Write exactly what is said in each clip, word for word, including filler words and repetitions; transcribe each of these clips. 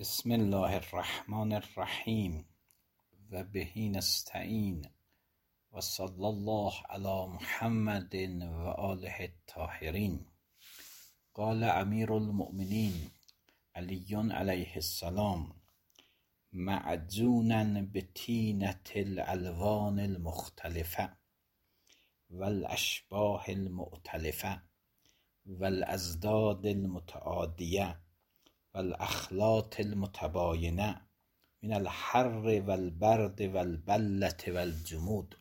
بسم الله الرحمن الرحیم و به نستعین و صلی الله علی محمد و آله الطاهرین. قال امیر المؤمنین علی علیه السلام معجونا بطینة الالوان المختلفه والاشباه المؤتلفه والازداد المتعادیه والاخلاط المتباینه من الحر والبرد والبلة والجمود.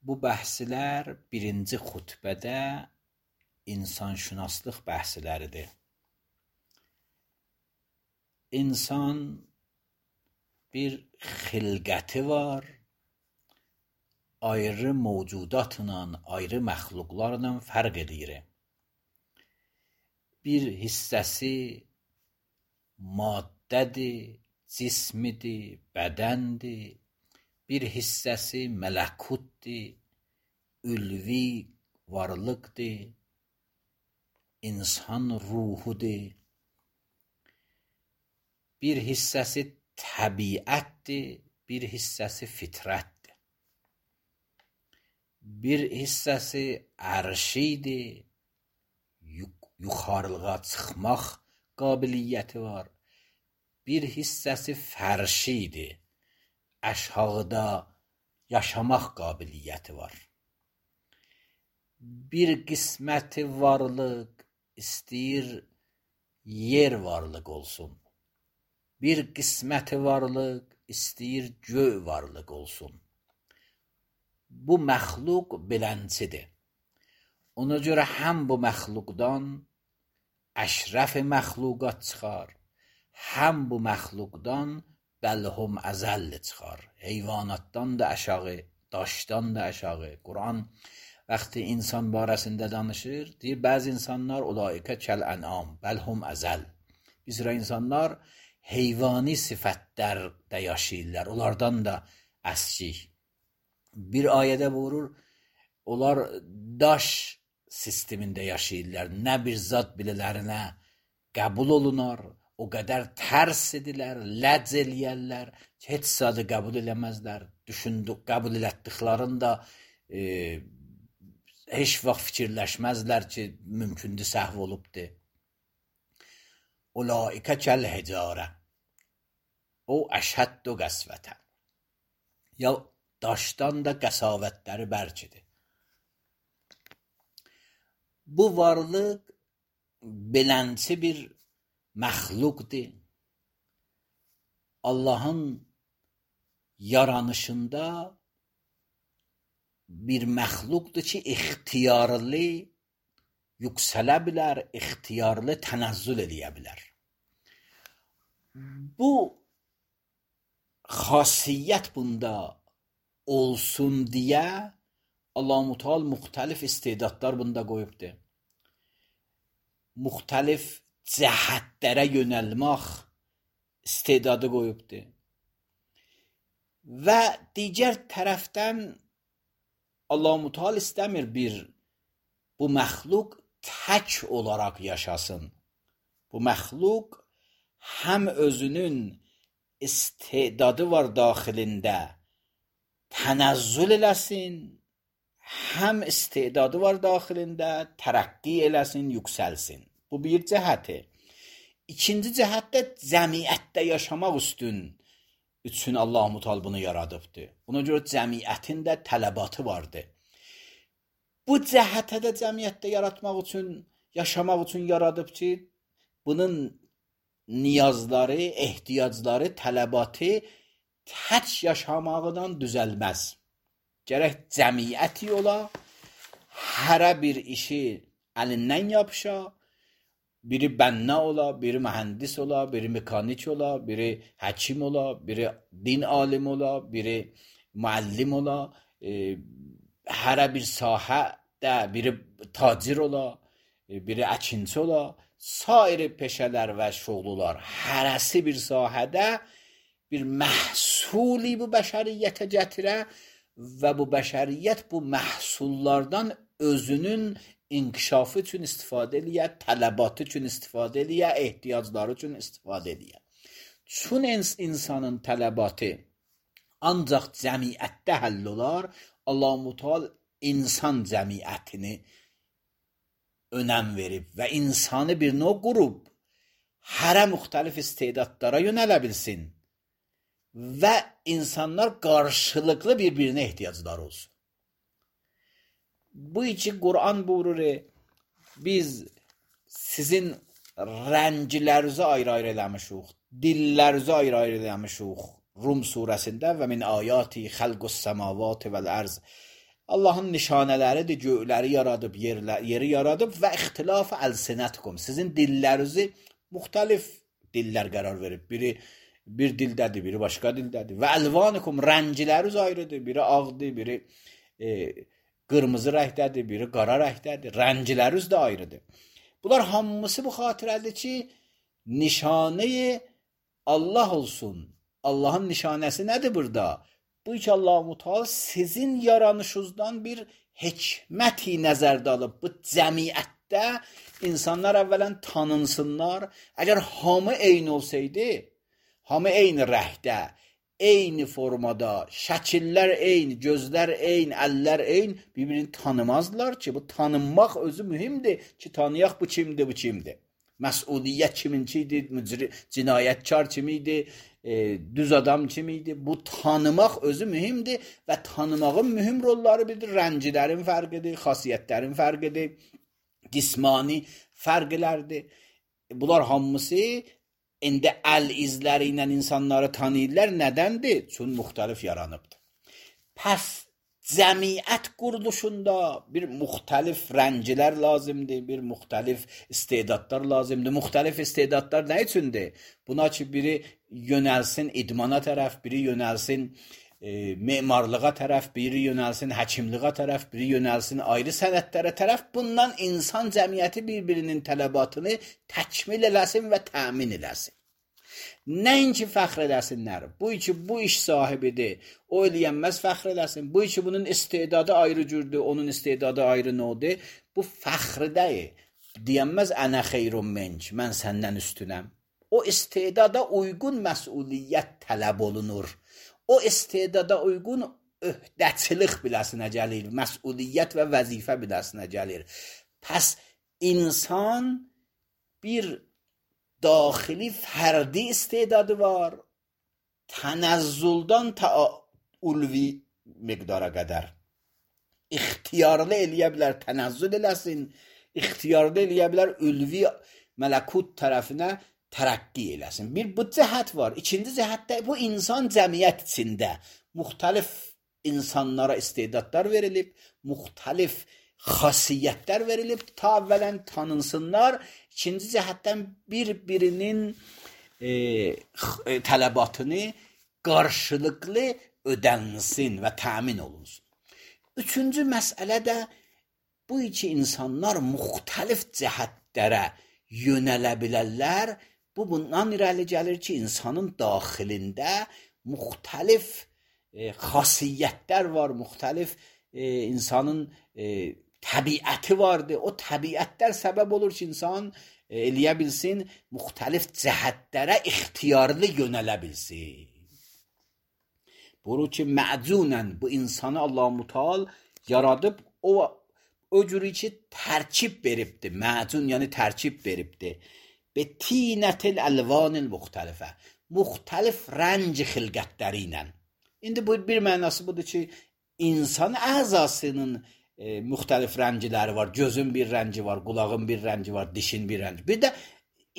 Bu bəhslər birinci xutbədə insanşünaslıq bəhsləridir. İnsan bir xilqəti var, ayrı mövcudatla, ayrı məxluqlarla fərq edir. Bir hissəsi maddədir, cismidir, bədəndir. Bir hissəsi mələkutdir, ülvi varlıqdır, insan ruhudur. Bir hissəsi təbiətdir, bir hissəsi fitrətdir. Bir hissəsi ərşidir, yuxarılığa çıxmaq qabiliyyəti var. Bir hissəsi fərşidir, aşağıda yaşamaq qabiliyyəti var. Bir qisməti varlıq istəyir yer varlıq olsun. Bir qisməti varlıq istəyir göy varlıq olsun. Bu məxluq beləncidir. Ona görə həm bu məxluqdan əşrəf məxluqat çıxar, həm bu məxluqdan bəlhum əzəlli çıxar. Heyvanatdan da aşağı, daşdan da aşağı. Quran vaxtı insan barəsində danışır, deyir bəzi insanlar ulaikə kəl-ənam, bəlhum əzəl. Bir sıra insanlar heyvani sifətlərdə yaşayırlar, onlardan da əskik. Bir ayədə vurur, onlar daş sistemində yaşayırlar. Nə bir zat bilələrinə qəbul olunar, o qədər tərs edilər, ləc eləyərlər ki, heç zadı qəbul eləməzlər. Düşündük, qəbul elətdiklərini da e, heç vaxt fikirləşməzlər ki, mümkündür səhv olubdur. Ulaikə kəl-hicarə o əşhəddu qəsvətə. Ya daşdan da qəsavətləri bərkidir. Bu varlıq belənçi bir məxluqdur. Allahın yaranışında bir məxluqdur ki, ixtiyarlı yüksələ bilər, ixtiyarlı tənəzzül eləyə bilər. Bu xasiyyət bunda olsun deyə Allah-u Teala müxtəlif istedadlar bunda qoyubdur. Müxtəlif cəhətlərə yönəlmək istedadı qoyubdur. Və digər tərəfdən Allah-u Teala istəmir bir bu məxluq tək olaraq yaşasın. Bu məxluq həm özünün istedadı var daxilində tənəzzül eləsin, həm istedadı var daxilində tərəqqi eləsin, yüksəlsin. Bu bir cəhəti. İkinci cəhətdə cəmiyyətdə yaşamaq üstün üçün Allah-u Teala bunu yaradıbdır. Buna görə cəmiyyətin də tələbatı vardır. Bu cəhətə də cəmiyyətdə yaratmaq üçün, yaşamaq üçün yaradıb ki, bunun niyazları, ehtiyacları, tələbatı tək yaşamaqdan düzəlməz. Gərək cəmiyyəti ola, hərə bir işi əlindən yapışa, biri bənna ola, biri mühəndis ola, biri mekanik ola, biri həkim ola, biri din alim ola, biri müəllim ola, e, hərə bir sahədə, biri tacir ola, biri əkinçi ola, sair peşələr və şoğlular, hərəsi bir sahədə bir məhsuli bu bəşəriyyətə gətirə və bu bəşəriyyət bu məhsullardan özünün inkişafı üçün istifadə eləyə, tələbatı üçün istifadə eləyə, ehtiyacları üçün istifadə eləyə. Çün insanın tələbatı ancaq cəmiyyətdə həll olar, Allah-u Müteal insan cəmiyyətini önəm verib və insanı bir növ qurub, hərə müxtəlif istedadlara yönələ bilsin və insanlar qarşılıqlı bir-birinə ehtiyacları olsun. Bu için Kur'an buyurur, biz sizin rəncilərinizi ayrı-ayrı eləmişik, dillərinizi ayrı-ayrı eləmişik. Rum surəsində və min ayati xalqus semavati vel arz. Allahın nişanələridir, göyləri yaradıb, yerlər, yeri yaradıb və ixtilaf əlsinətkum. Sizin dillərinizi müxtəlif dillər qərar verib. Biri bir dildədir, biri başqa dildədir. Və əlvanikum, rənciləriniz ayrıdır. Biri ağdır, biri e, qırmızı rəngdədir, biri qara rəngdədir. Rənciləriniz də ayrıdır. Bunlar hamısı bu xatirədir ki, nişanəyi Allah olsun. Allahın nişanəsi nədir burada? Bu ki, Allah-u Müteal sizin yaranışınızdan bir hikməti nəzərdə alıb. Bu cəmiyyətdə insanlar əvvələn tanınsınlar. Əgər hamı eyni olsaydı, hamı eyni rəhdə, eyni formada, şəkillər eyni, gözlər eyni, əllər eyni, bir-birini tanımazlar ki, bu tanınmaq özü mühimdir ki, tanıyaq bu kimdir, bu kimdir. Məsuliyyət kiminciydi, cinayətkar kimiydi, e, düz adam kimiydi. Bu tanımaq özü mühimdir və tanımağın mühüm rolları bilir. Rəncilərin fərqidir, xasiyyətlərin fərqidir, cismani fərqlərdir. Bunlar hamısı indi əl izləri ilə insanları tanıyırlar. Nədəndir? Çünki müxtəlif yaranıbdır. Pəs cəmiyyət quruluşunda bir müxtəlif rəncilər lazımdır, bir müxtəlif istedadlar lazımdır. Müxtəlif istedadlar nə üçündür? Buna ki, biri yönəlsin idmana tərəf, biri yönəlsin e, memarlığa tərəf, biri yönəlsin həkimliğə tərəf, biri yönəlsin ayrı sənətlərə tərəf. Bundan insan cəmiyyəti bir-birinin tələbatını təkmil eləsin və təmin eləsin. Nəinki fəxr eləsinlər. Bu ki, bu iş sahibidir, o eləyənməz fəxr eləsin. Bu ki, bunun istedadı ayrı cürdür, onun istedadı ayrı nodur. Bu fəxr deyil. Deyənməz ənə xeyrun menk, mən səndən üstünəm. O istedada uyğun məsuliyyət tələb olunur. O istedada uyğun öhdəçilik biləsinə gəlir, məsuliyyət və vəzifə biləsinə gəlir. Pəs insan bir daxili fərdi istedadı var, tənəzzüldən ta ulvi miqdara qədər. İxtiyarlı eləyə bilər, tənəzzül eləsin, ixtiyarlı eləyə bilər, ulvi mələkut tərəfinə tərəqqi eləsin. Bir bu cəhət var. İkinci cəhətdə bu insan cəmiyyət içində müxtəlif insanlara istedadlar verilib, müxtəlif xasiyyətlər verilib, ta əvvələn tanınsınlar. İkinci cəhətdən bir-birinin e, tələbatını qarşılıqlı ödənsin və təmin olunsun. Üçüncü məsələ də bu iki insanlar müxtəlif cəhətlərə yönələ bilərlər. Bu bundan irəli gəlir ki, insanın daxilində müxtəlif e, xasiyyətlər var, müxtəlif e, insanın e, təbiəti vardır. O təbiətlər səbəb olur ki, insan e, eləyə bilsin, müxtəlif cəhətlərə ixtiyarlı yönələ bilsin. Bunu ki, məcunən bu insanı Allah-u Müteal yaradıb, o, o cürü ki, tərkib veribdir. Məcun, yəni tərkib veribdir. Betinətil əlvanil müxtəlifə. Müxtəlif rənc xilqətləri ilə. İndi bu bir mənası budur ki, insan əzasının e, müxtəlif rənciləri var. Gözün bir rənci var, qulağın bir rənci var, dişin bir rənci. Bir də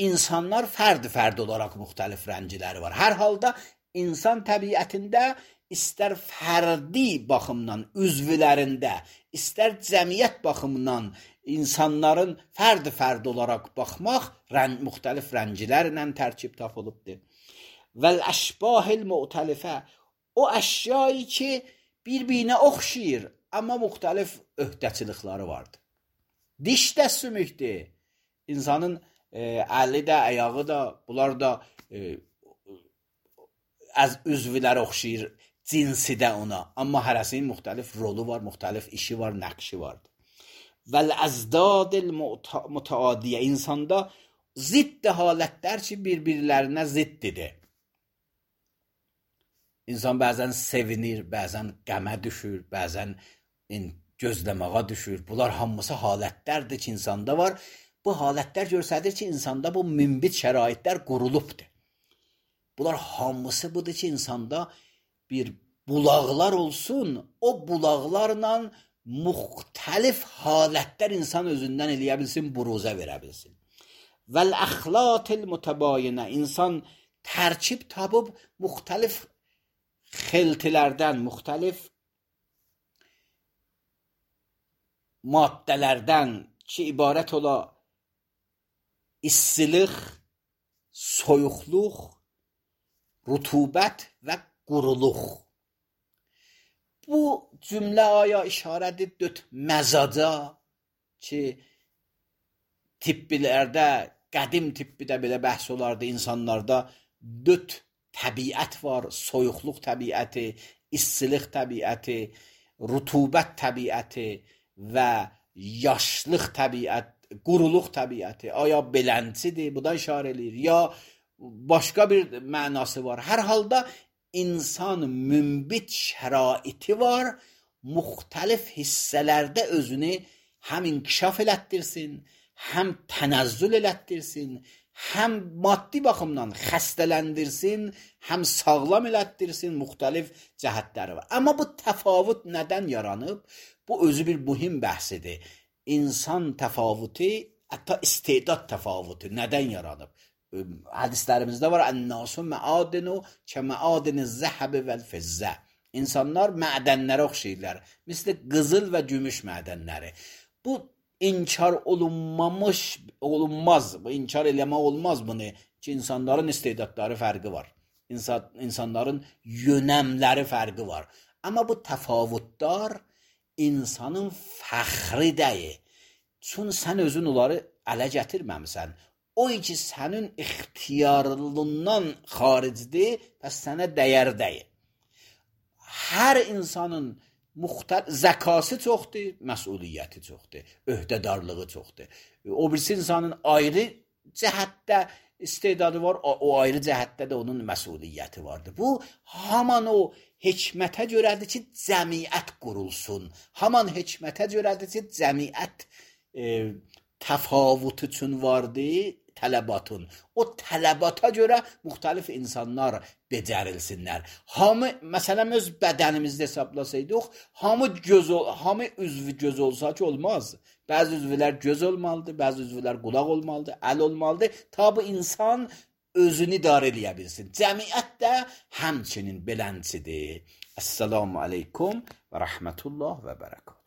insanlar fərdi-fərdi olaraq müxtəlif rənciləri var. Hər halda insan təbiətində istər fərdi baxımdan, üzvlərində, istər cəmiyyət baxımından insanların fərdi-fərdi olaraq baxmaq rən, müxtəlif rəncilərlə tərkib tapılıbdır. Vəl-əşbahil müxtəlifə, o əşyayı ki, bir-birinə oxşayır, amma müxtəlif öhdəçilikləri vardır. Diş də sümükdür. İnsanın e, əli də, ayağı da, bunlar da e, az üzvləri oxşayır, cinsi də ona. Amma hərəsinin müxtəlif rolu var, müxtəlif işi var, nəqşi vardır. vəl-əzdad mutəadiyə. İnsanda zidd halətlər ki, bir-birlərinə ziddidir. İnsan bəzən sevinir, bəzən qəmə düşür, bəzən gözləməyə düşür. Bunlar hamısı halətlərdir ki, insanda var. Bu halətlər göstərir ki, insanda bu münbit şəraitlər qurulubdur. Bunlar hamısı budur ki, insanda bir bulaqlar olsun, o bulaqlarla müxtəlif halətlər insan özündən eləyə bilsin, buruzə verə bilsin. Vəl-əxlatil mütəbayinə. İnsan tərkib tapıb müxtəlif xeltilərdən, müxtəlif maddələrdən ki, ibarət ola istilik, soyuqluq, rutubət və quruluq. Bu cümlə aya işarədir dörd məzaca ki, tibbilərdə, qədim tibbidə belə bəhs olardı, insanlarda dörd təbiət var, soyuqluq təbiəti, istilik təbiəti, rutubət təbiəti və yaşlıq təbiət, quruluq təbiəti. Aya beləncidir, bu da işarə edir, ya başqa bir mənası var. Hər halda insan münbit şəraiti var, müxtəlif hissələrdə özünü həm inkişaf elətdirsin, həm tənəzzül elətdirsin, həm maddi baxımdan xəstələndirsin, həm sağlam elətdirsin, müxtəlif cəhətləri var. Amma bu təfavüt nədən yaranıb? Bu özü bir mühüm bəhsidir. İnsan təfavütü, hətta istedad təfavütü nədən yaranıb? Hədislərimizdə var, ən-nasu məadinu kə məadini zəhəbi vəl-fizzə. İnsanlar mədənlərə oxşayırlar, misli qızıl və gümüş mədənləri. Bu inkar olunmamış, olunmaz, bu inkar eləmək olmaz bunu ki, insanların istedadları fərqi var. İnsan, insanların yönəmləri fərqi var. Amma bu təfavütlər insanın fəxri deyil. Çünki sən özün onları ələ gətirməmisən. O ki, sənin ixtiyarlığından xaricdir, bəs sənə dəyər deyil. Hər insanın müxtəlif zəkası çoxdur, məsuliyyəti çoxdur, öhdədarlığı çoxdur. O birisi insanın ayrı cəhətdə istedadı var, o ayrı cəhətdə də onun məsuliyyəti vardır. Bu, haman o hikmətə görədir ki, cəmiyyət qurulsun. Haman hikmətə görədir ki, cəmiyyət e, təfavüt üçün vardır, tələbatın. O tələbata görə müxtəlif insanlar becərilsinlər. Hamı, məsələn, öz bədənimizdə hesablasaydıq, hamı göz, hamı üzvü göz olsa ki, olmaz. Bəzi üzvlər göz olmalıdır, bəzi üzvlər qulaq olmalıdır, əl olmalıdır. Ta bu insan özünü idarə eləyə bilsin. Cəmiyyət də həmçinin beləncidir. Əssalamu aleykum və rəhmətullah və bərəkət.